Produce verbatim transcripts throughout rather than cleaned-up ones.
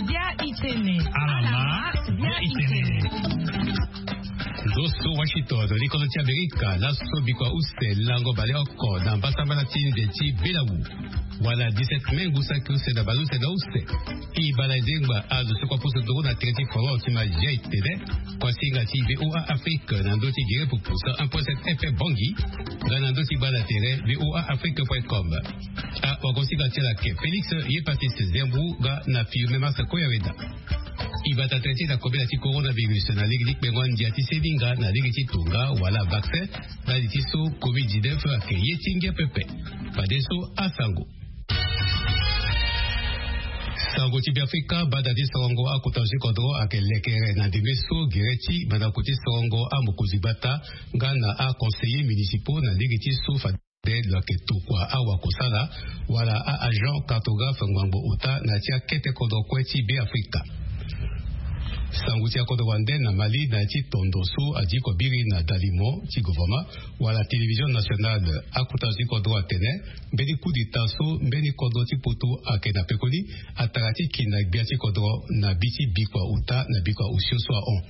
Bia itene. Alama, bia itene. Zo so Washington, likodo ti Amerika, laso bikua use lango baleoko na mbasambala ti nze ti Belawu. Wala dix-sept mai ngu saki use na baleuse na use. E bala e zengba azo so kua poso nduru na tere ti forum ti ma zia itene. Kuasinga ti VOA Afrique na ndö ti gere pupu cent un point sept FM Bangui. Nga na ndö ti gbanda tere VOA Afrique point com. Awagosinga ti ala ake Félix Yepatis Zembrou nga na Filme Masa Koyaweda. E bata tënë ti na kobela ti coronavirus na lege ti kpengo andia ti seninga na lege ti tonga wala vaccin. Ndali ti so covid dix-neuf ake ye ti ngia pepe. Fadeso asango. Sango ti Beafrika, bada ti sorongo akota zo ti kodro ake lekere na ndembe so gere ti mandako ti sorongo amokonzi gbata nga na aconseiller municipaux na lege ti so fade lo yeke tokua awakosala wala a-agent cartographe ngbangbo ota na ya ti akete kodro kue ti Beafrika. Sango ti akodro wande na Mali na ya ti tondo so adiko biri na dalimo ti gouvernement wala télévision nationale, akota zo ti kodro atene mbeni coup d'état so mbeni kodro ti poto ayeke na pekoni atara ti ki na gbia ti kodro na bi ti bikua ota na bikua osio so ahon.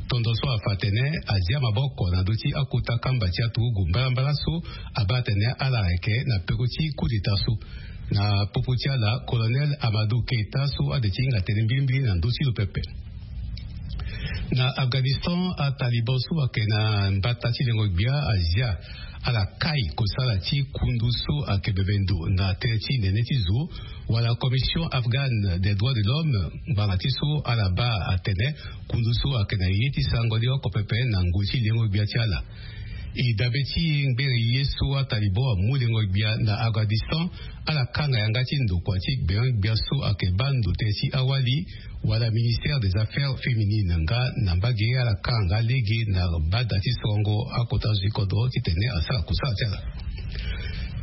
Tondo so afa atene azia maboko na ndö ti akota kamba ti aturugu mbalambala so abaa atene ala ayeke na peko ti coup d'état so. Na popo ti ala, colonel Amadou Keita so ade ti hinga tënë mbilimbili na ndö ti lo pepe. Na Afghanistan, ataliban so ayeke na mbata ti lengo gbia azia ala kai kosala ti kundu so ayeke bembe ndo na tënë ti nene ti zo wala Commission Afghane des Droits de l'Homme, ngbanga ti so ala baa atene kundu so ayeke na ye ti sarango ni oko pepe na ngoi ti lengo gbia ti ala. E dabe ti ngbere ye so ataliban amu lengo gbia na Afghanistan, ala kanga yanga ti ndokua ti gbeon gbia so ayeke baa ndo tënë ti awali wala ministère des affaires féminines nga na mbage ala kanga lege na bada ti sorongo akota zo ti kodro titene asara kosara ti ala.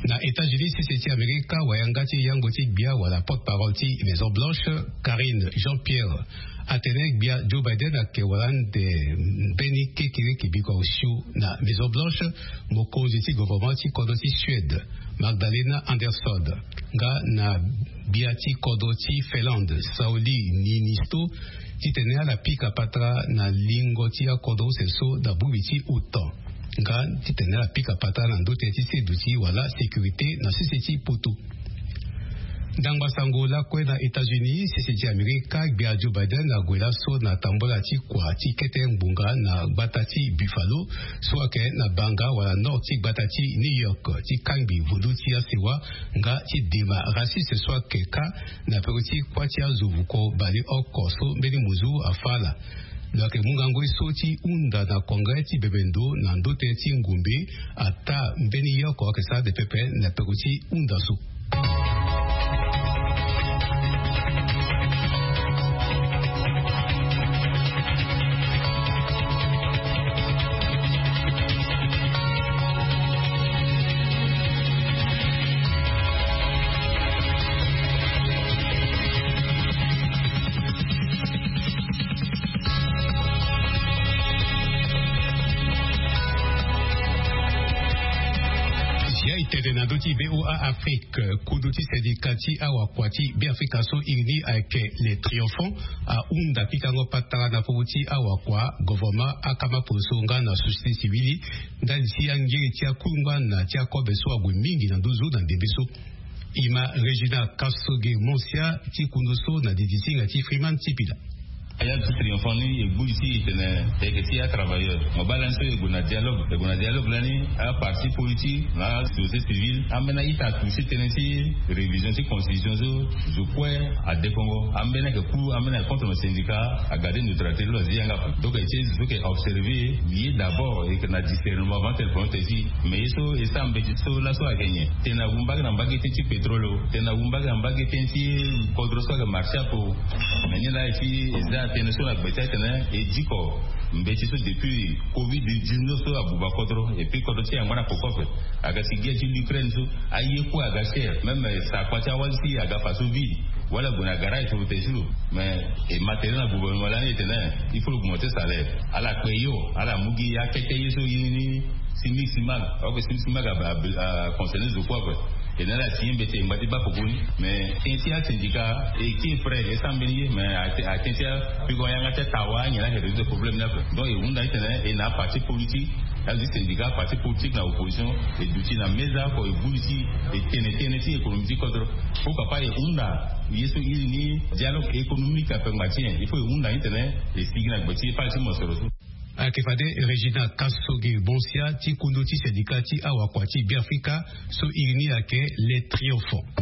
Na États-Unis, sese ti Amerika, wayanga ti yango ti gbia wala porte-parole ti Maison Blanche, Karine Jean-Pierre, atene gbia Joe Biden ayeke wala ande mbeni kekereke bikua osio na Maison Blanche, mokonzi ti gouvernement ti kodro ti Suède, Magdalena Andersson, nga na gbia ti kodro ti Finlande, Sauli Niinisto, titene ala pika patara na lingo ti akodro use so na bongbi ti OTAN, nga titene ala pika patara na ndö tënë ti seduti wala sécurité na sese ti poto. Ndangba sango lakue na États-Unis, sese ti Amerika, gbia Joe Biden ague laso na tambola ti kua ti kete ngbonga na gbata ti Buffalo so ayeke na banga wala nord ti gbata ti New York, ti kangbi vundu ti asewa nga ti dema raciste so ayeke kâ na peko ti kuâ ti azo vuko baleoko so mbeni muzu afâ ala. Lo yeke mu ngangu ye so ti hunda na congrès ti bembe ndo na ndö tënë ti ngumbe ataa mbeni yoko ayeke sara ande pepe na peko ti hunda so. Zia e tene na ndö ti VOA Afrique, kudu ti syndicat ti awakua ti Beafrika so iri ni ayeke Les Triomphants ahunda pikango patara na popo ti awakua, gouvernement, akama poso nga na société civile ndali ti angiri ti akungba na ti akobe so ague mingi na nduzu na ndembe so. E ma Regina Kasoge Monsia ti kundu so na didi ti hinga ti Freeman Tipila. Aya ti Triomphant ni e gbu li ti e tene e yeke ti atravailleur. Mo baa lani so e gue na dialogue, e gue na dialogue lani, aparti politique na asociété civile, ambeni a-ita atouché tënë ti révision ti constitution so zo kue adekongo. Ambeni ayeke pour, ambeni ayeke contre, na syndicat agarde neutralité lo azi yanga ape. Donc e ti e zo so yeke observer, ye d'abord e yeke na discernement avant tene prononce tënë ti e. Mais ye so e sara mbeti so laso ayeke nyen? Tene awu mbage na mbage tënë ti pétrole o, tene awu mbage na mbage tënë ti kodro so ayeke marché ape o. Mais ni laa e ti e za tënë so na gbe ti atene e diko mbeti so depuis covid dix-neuf so abuba kodro, et puis kodro ti e angba na koko ape. Aga si guerre ti l'Ukraine so, aye kue aga cher, même sakua ti awali si aga faso vide. Wala gue na garage so tene ti lo. Mais e matériel na gouvernement lani e tene il faut lo augmenter salaire. Ala kpe yo, ala mu gi akete ye so ye ni, simig simag. Ok, simig simag a, a, a concerner zo kue ape. E na ala si mbete e ngba ti baa poko ni. Mais tënë ti asyndicat e kiri prêt e sara mbeni ye, mais atënë ti apiko yanga ti atawa anyen laa e résoudre problème ni ape. Donc e hunda titene e na aparti politique, azo ti syndicat, aparti politique na opposition, e duti na meza oko e buli ti e tene tënë ti économie ti kodro. Pourquoi pas e hunda ye so iri ni dialogue économique ape ngba ti nyen? Il faut e hunda titene e sigi na gbe ti ye pale ti mosoro so. Ayeke fade Régina Khashoggi Bonsya ti kundu ti syndicat ti awakua ti Beafrika so iri ni ayeke Les Triomphants.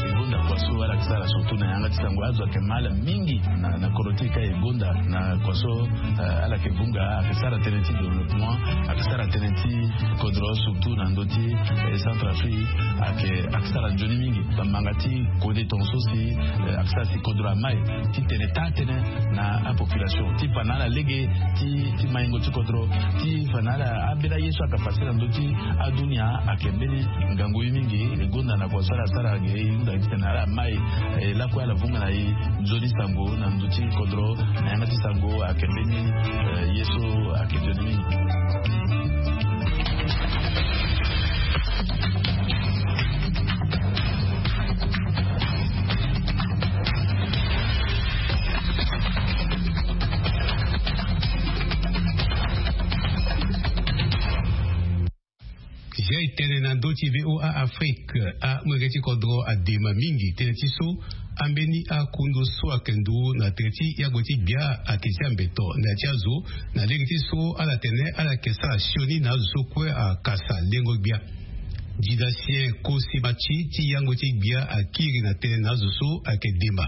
E gonda kua so ala yeke sara surtout na yanga ti sango, azo ayeke ma ala mingi na, na kodro ti e ka. E gonda na kua so, eh, ala yeke vunga, ayeke sara tënë ti développement, ayeke sara tënë ti kodro surtout na ndö ti, eh, Centrafrique, ayeke, ayeke sara nzoni mingi. Bamanga ti kode tongaso si, eh, ayeke sara si kodro amai ti tene taa tënë na apopulation ti fa na ala lege ti, ti maingo ti kodro, ti fa na ala ambeni aye so ayeke pase na ndö ti adunia ayeke mbeni ngangu ye mingi. E gonda na kua so ala sara ge e hunda titene ala mai, eh, lakue ala vunga na e nzoni sango na ndö ti kodro na yanga ti sango ayeke mbeni, eh, ye so ayeke nzoni mingi. Zia e tene na ndö ti VOA Afrique, amolenge ti kodro adema mingi tënë ti so ambeni akundu so ayeke ndu na tere ti yagbe ti gbia ayeke zia mbeto na ya ti azo, na lege ti so ala tene ala yeke sara sioni na azo so kue akasa lengo gbia. Didasien Kosimatsi ti yangbe ti gbia akiri na tënë na azo so ayeke dema.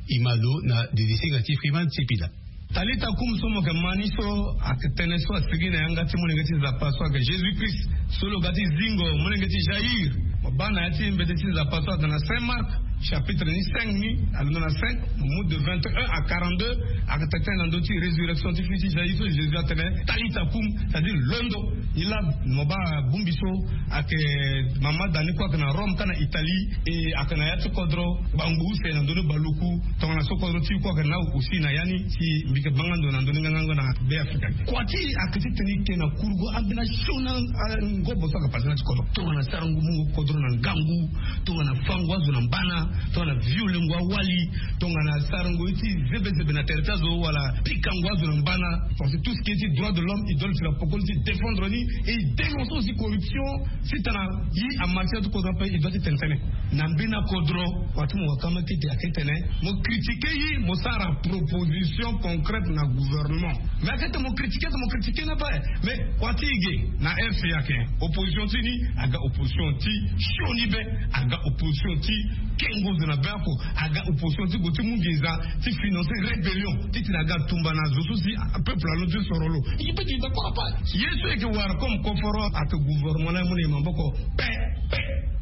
E ma lo na didisinga ti Freeman Sipila. Talita kum so mo yeke ma ni so ayeke tënë so asigi na yanga ti molenge ti Nzapa so ayeke Jésus Christ, so lo ga ti zingo molenge ti Jaïr. Mo baa na ya ti mbeti ti Nzapa so ayeke na Saint Marc, chapitre ni cinq ni, alondo na cinq, mo mu de vingt et un à quarante-deux, ayeke tene na ndö ti résurrection ti fils ti Jaïr so Jésus atene, Talita kum, c'est-à-dire londo. Ni laa mo baa bongbi so ayeke mama da ni kue ayeke na Rome ka na Italie, e ayeke na ya ti kodro, bangu use na ndö ni baluku, tongana so kodro ti e kue ayeke na aussi na ya ni, si mbi yeke banga ndo na ndö ni ngangango na Be Afrika. Kua ti e ayeke ti tene e ke na kurugu ambeni asioni, a, ngobo so ayeke pase na ya ti kodro. Tongana sarango mungo kodro na ngangu, tongana fango azo na mbana, tongana violengo awali, tongana sarango ye ti zebezebe na tere ti azo wala pikango azo na mbana. Parce que tout ce qui est ti droit de l'homme, il doit ti la pokoni ti défendre ni, et il dénonce aussi corruption. Si tana ye amarché ti kodro ape, il doit ti tene tënë. Na mbeni akodro, kua ti mo waka ma kete ayeke tene mo critiquer ye, mo sara proposition concrète na gouvernement. Mais ayeke tene mo critiquer, mo critiquer ni ape. Mais kua ti e ge na R C A ayeke, opposition ti ni aga opposition ti sioni be, aga opposition ti kengo zo na be oko, aga opposition ti gue ti mu nginza ti financer rébellion, ti tene aga tumba na zo so si peuple alondo ti soro lo. E peut ti d'accord ape. Ye so e yeke wara comme koforo ayeke gouvernement ni amu na e maboko pe, pe.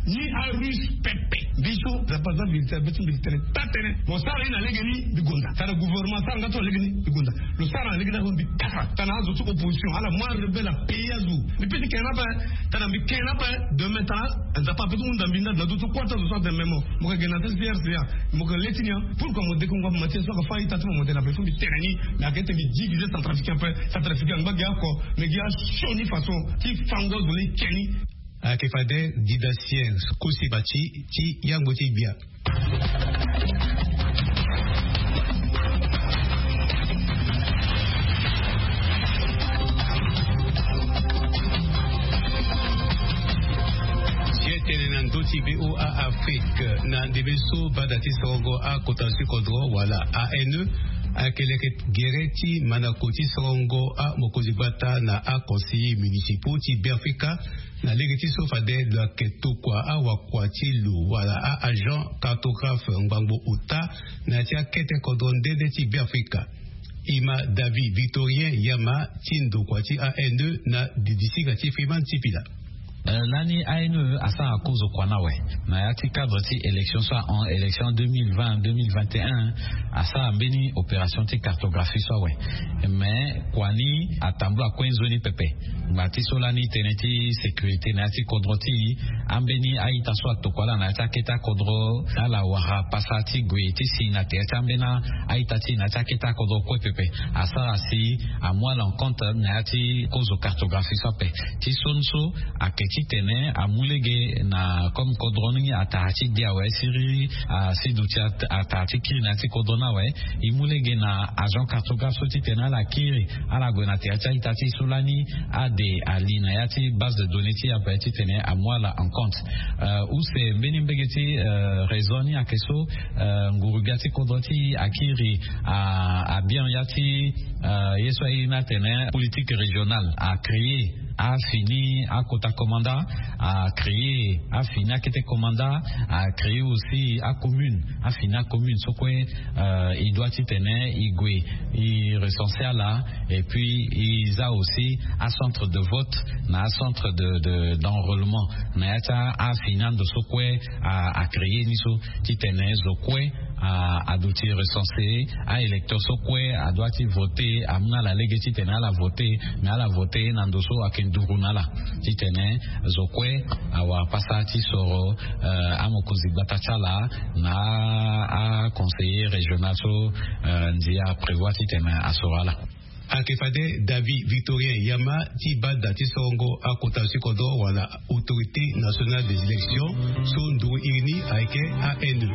Ni aruse pepe. Mbi so Nzapa aza vérité, abe ti mbi tene taa tënë. Mo sara ye na lege ni, mbi gonda. Tana gouvernement asara nga so na lege ni, mbi gonda. Lo sara na lege ni azo, mbi kasa. Tana azo ti opposition, ala mu arebelle apayer azo. Mbi peut ti ke ni ape. Tana mbi ke ni ape. Demain tana Nzapa ape ti hunda mbi na, na ndö ti kua ti azo so atene me mo, mo yeke ge na ya ti R C A, mo yeke le ti ni. Pourquoi mo dekungo ape? Mathias so ayeke fâ a-ita ti mo, mo tene ape, il faut mbi tene ni. Mais ayeke tene mbi diviser Centrafricain ape. Centrafricain angba ge oko, mais ge asioni façon ti fango azo ni ke ni. Ayeke fade Didasien Kosimatsi ti yangbo ti gbia. Ye tene na ndö ti VOA Afrique, na ndembe so bada ti sorongo akota ti kodro wala A N E ayeke leke gere ti mandako ti sorongo amokonzi gbata na aconseiller municipaux ti Beafrika. Na lege ti so fade lo yeke tokua awakua ti lo wala a-agent cartographe ngbangbo ota na ya ti akete kodro nde nde ti Beafrika. E ma David Victorien Yama ti ndokua ti A N E na didisinga ti Freeman Sipila. Eh, lani A N E asara kozo kua ni awe na ya ti cadre ti élection so ahon, élection deux mille vingt, deux mille vingt et un, asara mbeni opération ti cartographie so awe. Mais kua ni atambula kue nzoni pepe. Ngba ti so lani tënë ti sécurité na ya ti kodro ti e, ambeni a-ita so atokua ala na ya ti akete akodro, ala wara pasa ti gue ti si na tere ti ambeni a-ita ti e na ya ti akete akodro kue pepe. Asara si amu ala en compte na ya ti kozo cartographie so ape. Ti so ni so ayeke titene amu lege na comme kodro ni atara ti gi awe siriri asi duti atara ti kiri na ya ti kodro ni awe. E mu lege na agent cartographe so titene ala kiri ala gue na tere ti a-ita ti so lani ade ali na ya ti base de données ti e ape titene amu ala en compte. Use mbeni mbege ti raison ni ayeke so nguru-gbia ti kodro ti e akiri abian ya ti ye so aye ni atene politique régionale acréer afini akota commandant, acréer afini akete commandant, acréer aussi acommune afini acommune so kue e doit titene e gue e recenser ala. Et puis e za aussi acentre de vote na acentre de d'enrôlement na ya ti afini ando so kue acréer ni so titene zo kue aduti recenser aélecteur so kue adoit ti voter amu na ala lege titene ala voter. Mais ala voter na ndo so ayeke nduru na ala titene zo kue awara pasa ti soro amokonzi gbata ti ala na aconseiller régional so ndia aprévoir titene asoro ala. Ayeke fade David Victorien Yama ti bada ti sorongo akota ti kodro wala Autorité Nationale des Élections so nduru iri ni ayeke A N E.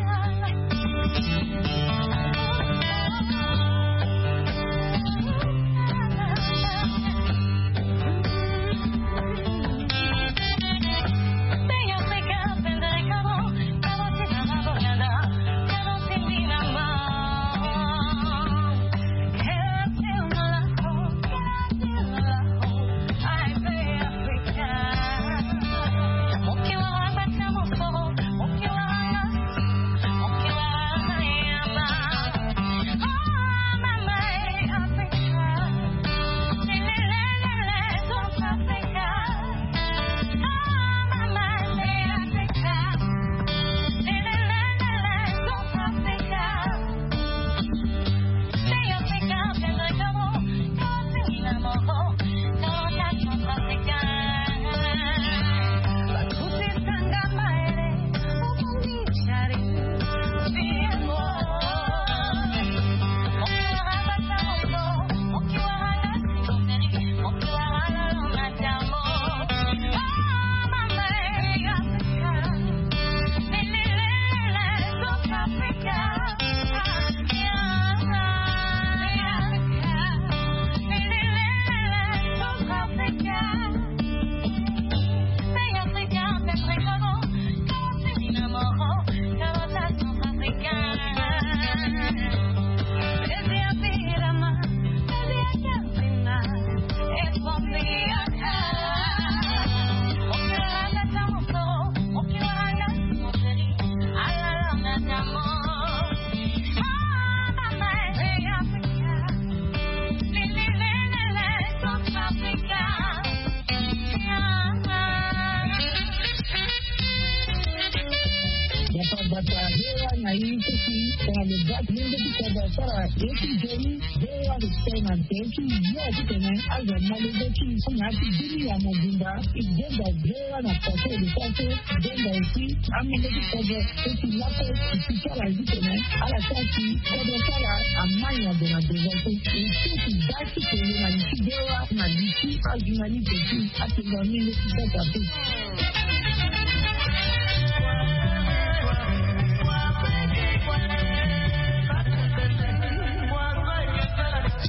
Gbata gbata V O A na e ti si tongana lo baa ti lenge ti kodro asara ye ti nzoni. V O A lo tene na tere ti yo titene azo ma lege ti e so na ya ti demi ya mobimba. E denga V O A na poto lo sara so denga aussi amenge ti kodro so ti laso e si ti ala titene ala sara si kodro ti ala amai na ndo na devant so. E so e si daa ti kele na li ti V O A na li ti ajournaliste ti atengua mingi ti sasa te.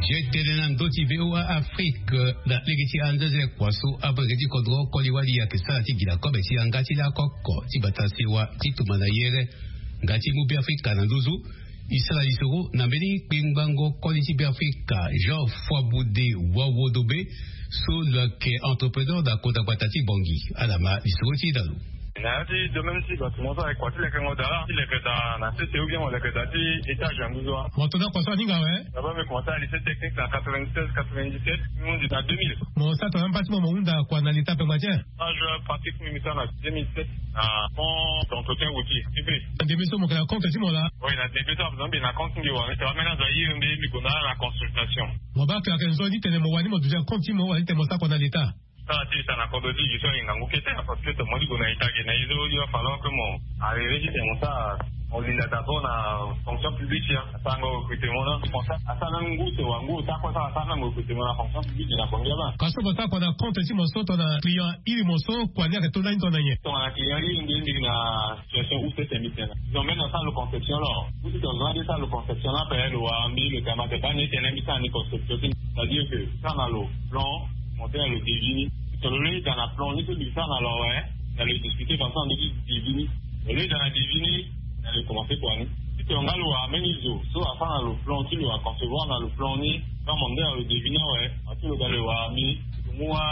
Ye tene na ndö ti V O A Afrique na lege ti anzeze kua so amolenge ti kodro koli wali ayeke sara ti gi na kobe ti yanga ti lako oko ti bata sewa ti tumba na yere nga ti mu Beafrika na nduzu. E sara lisoro na mbeni kpengbango koli ti Beafrika Jean Foibude Wawodobe so lo yeke entrepreneur na kota gbata ti Bangui. Ala ma lisoro ti e na lo. Na ya ti domaine ti bato mo so ayeke kua ti lekengo daa ti leke daa na sese ou bien mo leke daa ti étage na nduzu wa. Mo to na kua so aninga awe. D'abord mbi commencé na lycée technique na quatre-vingt-seize quatre-vingt-dix-sept mbi hundi na deux mille. Mo sara tongana mbaa ti mo mo hunda kua na leta pengba ti en. Moi je pratique mbi mi sara na deux mille sept na fonds d'entretien routier privé. Ndembe so mo yeke na compte ti mo laa. Oui na ndembe so azo mbi na compte mbi wa mbi sara ambeni azo airi mbi mbi gue na ala na consultation. Mo baa ke ayeke nzoni titene mo wani mo duti na compte ti mo wala titene mo sara kua na leta. Sara ti e sara na kodro ti e gi so aye ngangu kete, parce que to mo ti gue na ita ge na ye so il va falloir que mo arriver ti tene mo sara, mo linda d'abord na fonction publique ya, asarango recrutement na, mo sara asara même ngu te wa ngu ota kue, sara asara même recrutement na fonction publique na Bongi laba. Ka so mo sara kua na compte ti mo so tongana client iri mo so kua ni ayeke to lani tongana nyen? Tongana client iri nde ndigi na situation use tene mbi tene. Disons même na sara lo conception lo. Ou si tongana nde sara lo conception la ape lo wara mbi lo tene ma tene baa ni tene mbi sara ni conception ti ni. C'est-à-dire que sara na lo plan, monter na lo devis ni. Tongana lo lei daa na plan ni so mbi sara na lo awe, na lo discuter façon na ndö ti devis ni. Lo lei daa na devis ni, na lo commencer kua ni. Si tongana nga lo wara mbeni zo so asara na lo plan ti lo aconcevoir na lo plan ni, nga mo nde na lo devis ni awe, aso lo ga lo wara mbi, lo mu wa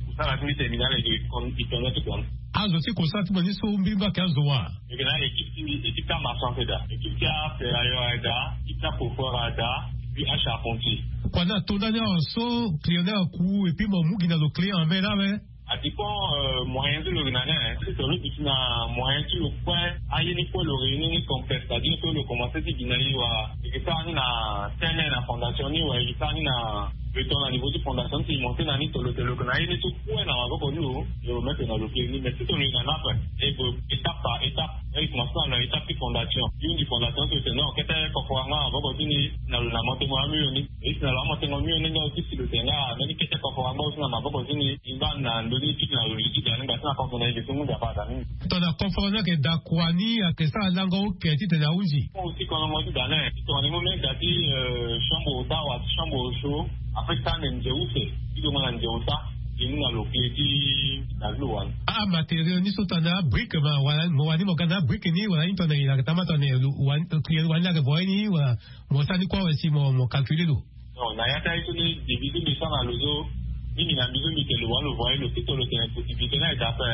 kusala ti mbi tene mbi na lo e kon-, e tongana ti kua ni. Azo ti kosala ti mo ni so mbirimbiri ayeke azo wa? Mbi yeke na équipe ti mbi, équipe ti amarchand ayeke daa, équipe ti aferrailleur ayeke daa, équipe ti acoffreur ayeke daa, et puis acharpentier. Kua ni ato ndani awa so client ni aku et puis mo mu gi na lo clé en main lawe? A dépend, euh, moyen ti lo yeke na ni, hein. Si tongana lo duti na moyen ti lo kue, aye ni kue lo réunir ni complet, c'est-à-dire que lo commencer ti gi na e wala e yeke sara ni na tene na fondation ni wala e yeke sara ni na beton na niveau ti fondation ni ti monter na ni, tongana lo yeke na ye ni so kue na maboko ni lo, e remettre na lo clé ni. Mais si tongana lo yeke na ni ape, e gue étape par étape. E commencer na lo na étape ti fondation. Ye ni fondation so e tene non, kete coffre-fort angba na maboko ti ni, na lo na monter mo amur ni. E si na lo amonter mo amur ni, nga aussi si lo tene nga mbeni kete coffre-fort angba aussi na maboko ti ni. Ngba na ndö ni ti na lo li ti da ni ngba ti na coffre na e ge so ngu nzapa da ni. Tongana coffre-fort ni ayeke da kua ni ayeke sara lango oke titene ahunzi. Aussi kono mo ti da ni. Tongana e mu mbeni da ti, euh, chambre ota wala ti chambre chaud, après ti tene nze use ti dongo na nze ota, e mu na lo clé ti da ti lo wani. Amatériaux ni so tongana abrique ma wala mo wani mo ga na abrique ni wala ni tongana e yeke tambula tongana lo wani, client wani ni ayeke voye ni wala mo sara ni kue awe si mo, mo calculer lo. Non, na ya ti aye so ni devis so mbi sara na lo so, mingi na mbi so mbi tene lo wani lo voye lo, si tongana lo tene possibilité ni ayeke ape,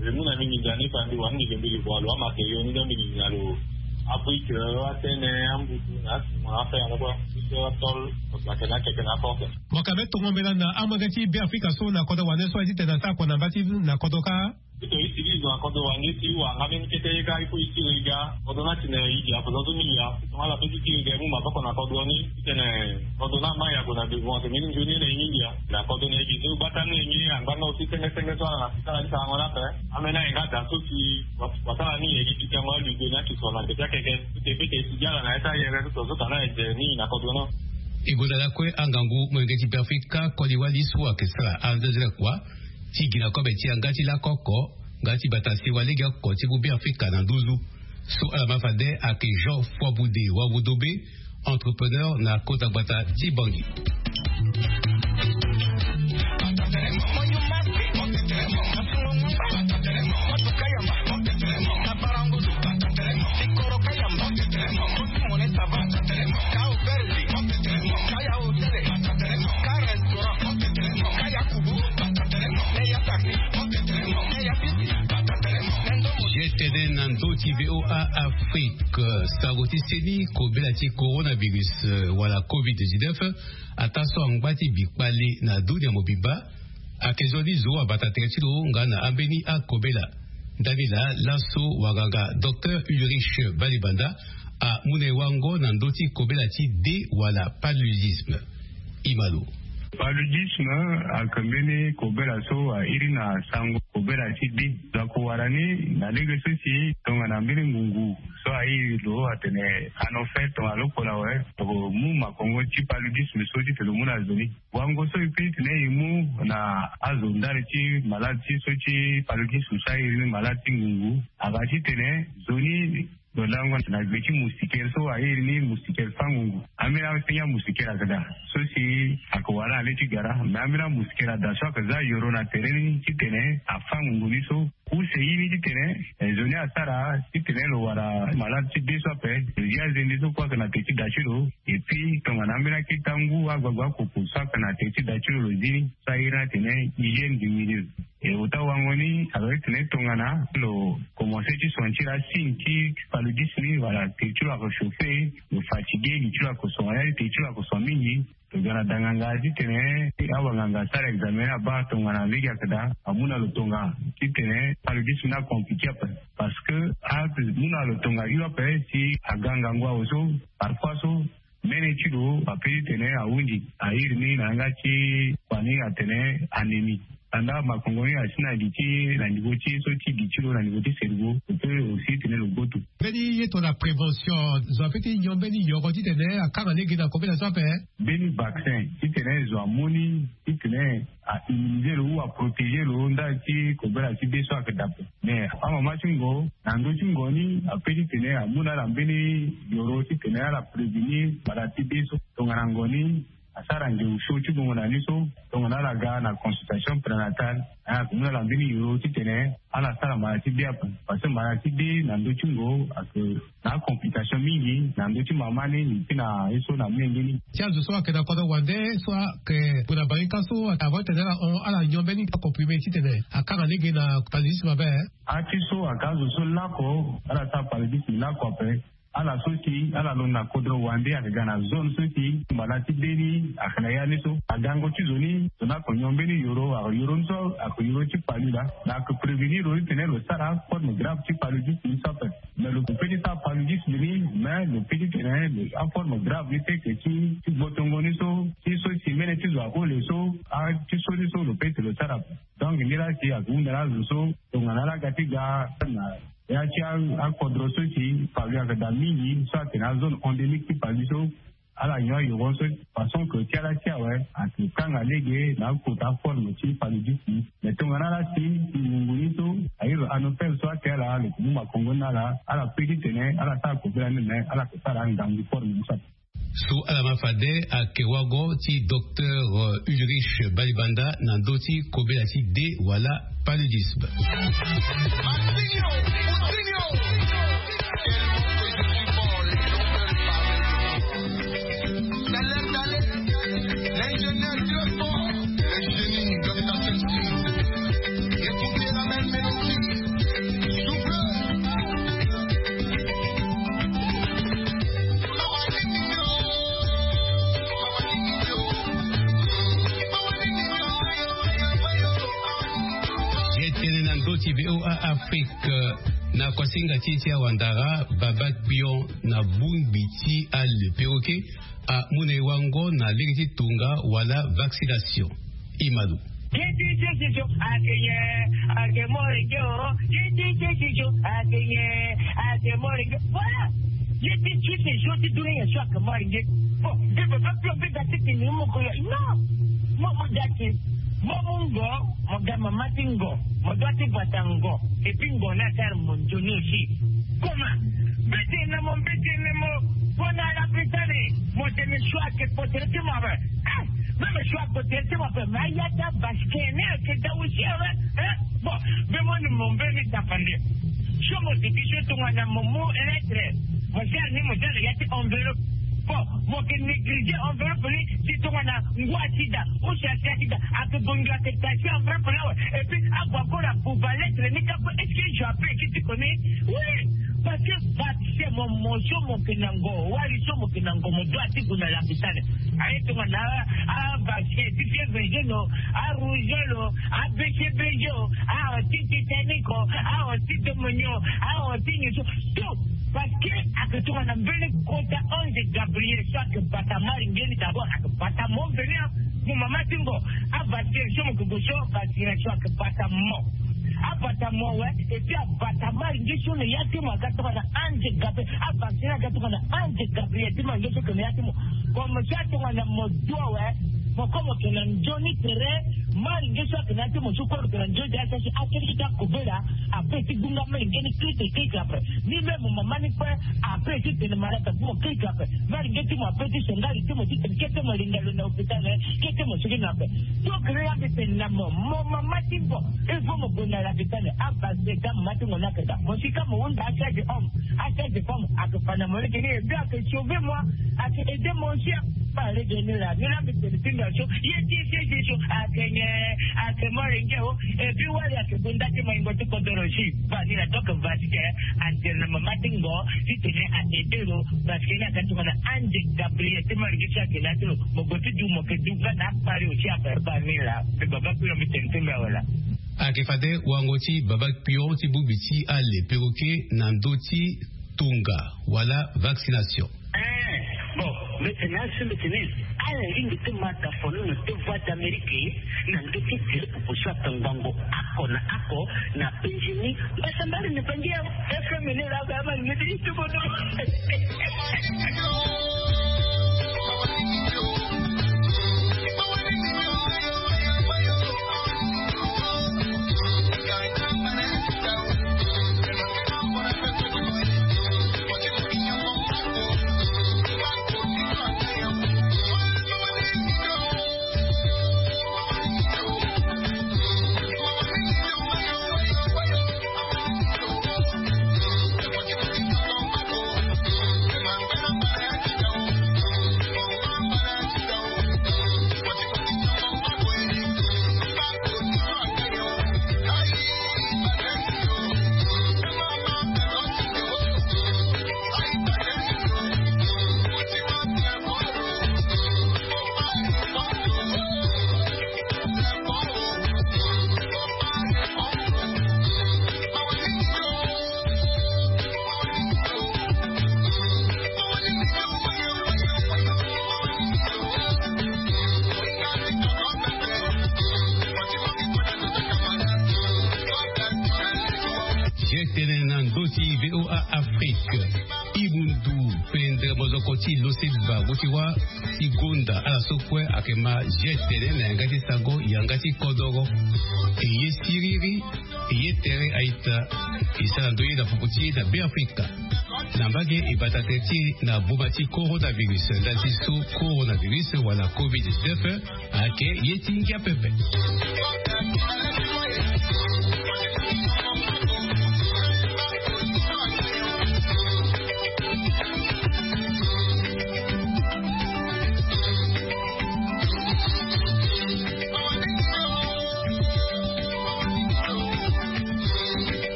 lo mu na mbi mbi ga ni fa mbi wani mbi lo mbi lo voye lo amatériaux ni, donc mbi gi na lo abrique, euh, atene, ambutu na aciment, afer na kue so atôle, donc ayeke na akeke na aporte. Mo yeke même tongo mbela na amolenge ti Beafrika so na kodro wande so aye titene asara kua na mba ti na kodro kâ. Ti to utilise na kodro wande ti wara nga mbeni kete ye kâ, il faut e tiri e ga. Kodro ni atene e gi akozon so mingi ya. Tongana ala peut ti tiri e ga e mu maboko na kodro ni titene kodro ni amai ague na devant, tene mbeni nzoni ni na e mingi ya. Na kodro ni e gi so gbata ni e gi angba nga aussi senge senge so ala na sika ala ti sarango ni ape. Ambeni aye nga da so si wa, wasara ni e gi pikango alugue ni ake so na gbe ti akeke. Ti e peut ti e si gi ala na ya ti ayere so to so tana e ze ni na kodro ni. E gue na lakue angangu molenge ti Beafrika koli wali so ayeke sara anzezere kua ti gi na kobe ti yanga ti lako oko nga ti bata sewa lege oko ti mu Beafrika na nduzu. So ala ma fade ayeke Jean Foibude Wavudobe, entrepreneur na kota gbata ti Bangui. Ye tene na ndö ti V O A Afrique, sango ti seni kobela ti coronavirus, euh, wala covid dix-neuf, ataa so angba ti bikpale na dunia mobimba, ayeke zo ni zo abata tere ti lo nga na ambeni akobela. Ndani laa laso wanganga Docteur Ulrich Balibanda amu na e wango na ndö ti kobela ti de wala paludisme. Ima lo. Paludisme ayeke mbeni kobela so airi na sango kobela ti de. Lo yeke wara ni na lege so si tongana mbeni ngungu so airi lo atene anophèle tongana lokpolo awe, lo mu makongo ti paludisme so titene lo mu na zo ni. Wango so e peut titene e mu na azo ndali ti malade ti so ti paludisme so airi ni malade ti ngungu, ayeke titene zo ni lo lango na gbe ti moustiquaire so airi ni moustiquaire fangungu. Ambeni asenge amoustiquaire ayeke daa so si ayeke wara na le ti gara, me ambeni amoustiquaire ada so ayeke za yoro na tere ni titene afangungu ni so. Use ye ni titene, eh, zo ni asara titene lo wara malade ti de so ape, lo zi azende so kue ayeke na tere ti da ti lo. Et puis tongana ambeni akita ngu, agbagba, akoko so ayeke na tere ti da ti lo, lo zi ni. So airi ni atene hygiène du milieu. E ota wango ni ayeke titene tongana lo commencer ti sentir asigne ti paludisme ni, wala tere ti lo ayeke chauffer, lo fatigué, li ti lo ayeke songa, ya ti tere ti lo ayeke songa mingi, lo ga na danganga titene awanganga asara examen ni abaa tongana lege ayeke daa, amu na lo tonga titene paludisme ni acompliqué ape. Parce que amu na lo tonga hio ape si aga ngangu awe so, parfois so, mene ti lo apeut titene ahunzi, airi ni na yanga ti kua ni atene anémie. Anda makongo ni asi na li ti na niveau ti so ti li ti lo na niveau ti cerveau, lo pe aussi titene lo gboto. Mbeni ye to na prévention zo ape ti nyon mbeni yoro titene akanga lege na kobela so ape. Mbeni vaccin titene zo amu ni titene a immuniser lo ou a protéger lo ndali ti kobela ti be so ayeke daa ape. Mais amama ti ngo na ndö ti ngo ni ape titene amu na ala mbeni yoro titene ala prévenir mbala ti be so tongana ngo ni asara nge osio ti gongo na ni so tongana ala ga na consultation prénatale. Ala ke mu na ala mbeni yoro titene ala sara mbala ti be ape. Parce que mbala ti be na ndö ti ngo ayeke na acomplication mingi na ndö ti mama ni ti na ye so na menge ni. Ti azo so ayeke na kodro wande so ayeke gue na barika so avant tene ala hon ala nyon mbeni acomprimé titene akanga lege na paludisme ape. Ati so ayeke azo so lako ala sara paludisme lako ape. Ala so si ala londo na kodro wande ayeke ga na zone so si mbala ti be ni ayeke na ya ni so agango ti zo ni zo ni ayeke nyon mbeni yoro ayeke yoro ni so ayeke yoro ti palu laa. Me ayeke prévenir lo ni tene lo sara aforme grave ti paludisme ni so ape. Mais lo pe ti sara paludisme ni mais lo pe ti tene aforme grave ni so ayeke ti ti gbotongo ni so ti so si mene ti zo ahole so ati so ni so lo pe ti lo sara ape. Donc ni laa si ayeke hunda na azo so tongana ala ga ti ga na ya ti akodro so si palu ayeke daa mingi so atene azone endémique ti palu so ala nyon ayoro so façon ke ti ala ti awe ayeke kanga lege na akota aforme ti paludisme. Mais tongana ala si ngungu ni so airi anopel so ake ala lo ke mu makongo ni na ala ala pe titene ala sara kobela ni me ala ke sara ngangu forme ni so ape. So ala ma fade ayeke wago ti docteur Ulrich Balibanda na ndö ti kobela ti de wala paludisme. Ye tene na ndö ti VOA Afrique na kosinga ti ti awandara baba kpion na bongbi ti ale peroke amu na e wango na lege ti tonga wala vaccination. Imalo. Ye ti ti ti so ayeke nyen? Ayeke moro nge o. Ye ti ti ti so ayeke nyen? Ayeke moro nge. Voilà. Ye ti ti ti so ti dunia nyen so ayeke moro nge? Bon, nge baba kpion mpe ga ti tene moko ya non. Mo mo ga ti mo mu ngo. Mo ga mama ti ngo. Mo doit ti bata ngo. Et puis ngo ni asara mo nzoni aussi. Comment? Mbeti na mo mbeti na mo. Pona la pitani mo tene choix ke potere ti mo ape. Ah, même choix potere ti mo ape mais aya ta basket ne ke da aussi ape. Hein? Bon, be mo ni mo mbeni tapande. So mo tiki so tongana mo mu lettre. Mo sara ni mo sara ya ti enveloppe. Bon, mo ke négliger enveloppe ni si tongana ngu asida ou si asi asida ake bongi ake tasi enveloppe ni awe. Et puis ague akora buba lettre ni kapa est-ce que je appelle ki ti koni? Oui, parce que vaccin mo mo so mo ke na ngo wali so mo ke na ngo mo doit ti gue na lapitale. Aye tongana avaccin ti fievre jaune o, arougeole o, abcbg o, aho ti titanique o, aho ti domoni o, aho ti nyen so tout. Parce que ake tongana mbeni kota ange Gabriel so ake bata mari nge ni d'abord ake bata mo mbeni a mo mama ti ngo. Avaccin so mo ke gue so vaccination ake bata mo. Abata mo awe. Et puis abata mari nge so na ya ti mo aga tongana ange Gabriel. Avaccin aga tongana ange Gabriel ti mari nge so ke na ya ti mo. Comme so atongana mo du awe. Mo ko mo ke na nzoni tere. Mari nge so ake na ya ti mo so ko lo ke na nzoni tere ake ti akobela. Ape ti gbunga mari nge ni kete kete ape. Ni même mama ni kue ape ti tene malade abu mo keke ape. Mari nge ti mo ape ti songa li ti mo ti tene kete mo linga lo na hôpital. Kete mo sigi na ape. Donc ni la mbi tene na mo mo mama ti ngo. Il faut mo gue na lapitale. Abase ka mama ti ngo ni ake daa mo si ka mo hunda achage homme achage femme ake fa na mo lege ni et puis ake sauver moi. Ake aider moi aussi. Ba lege ni la ni la mbi tene ti mbi aso. Ye ti ye ti ye ti so ake nyen? Ake mari nge o. Et puis wali ake gue nda ti maingo ti kodoro si. Ba ni la donc vaccin. Antere na mama ti ngo ti tene a aide lo. Parce que ni aga tongana ange Gabriel ti mari nge si ake na ya ti lo. Mo gue ti du mo ke du nga na akpari aussi ape. Ba ni la mbi baba kpion mbi tene ti mbi awe la. Ake fade wango ti baba kpion ti bongbi ti ale peroke na ndö ti tonga wala vaccination. Eh. Bon, mbete na asi mbete ni ala lingbi ti mata fono na te voie d'amérique na ndeti tele popo so ata ngbongo ako na ako na penjeni. Mbasambali ni bangi ya fm ni la ba ma ni ti itubo no. Ye tene na ndö ti VOA Afrique. Imundu pendre mozoko ti loseba wuti wa ti gonda ala so kue ayeke ma ye tene na yanga ti sango yanga ti kodoro. E ye siriri, e ye tere aita, e sara ndoye na fuku ti e na Beafrika. Na mbage e bata tere ti e na boma ti coronavirus, ndali ti so coronavirus wala covid dix-neuf ayeke ye ti ngia pepe.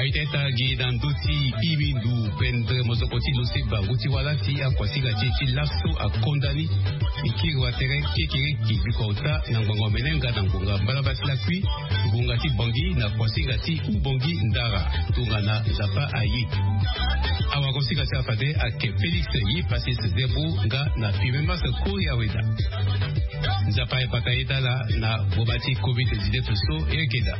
Aita ita gi na ndö ti imindu pendre mozoko ti loseba wuti wala ti akuasinga ti e ti laso akonda ni. E kiri watere kekereke bikua ota na ngbonga omene nga na ngonga mbala basi lakui, ngonga ti bongi na kuasinga ti ubongi ndara tongana nzapa aye. Awakosinga ti afade ake Félix ye Pacis Zerbo nga na Pimemas Kori Aweda. Nzapa aye pata ye dala na boma ti covid dix-neuf so e yeke daa.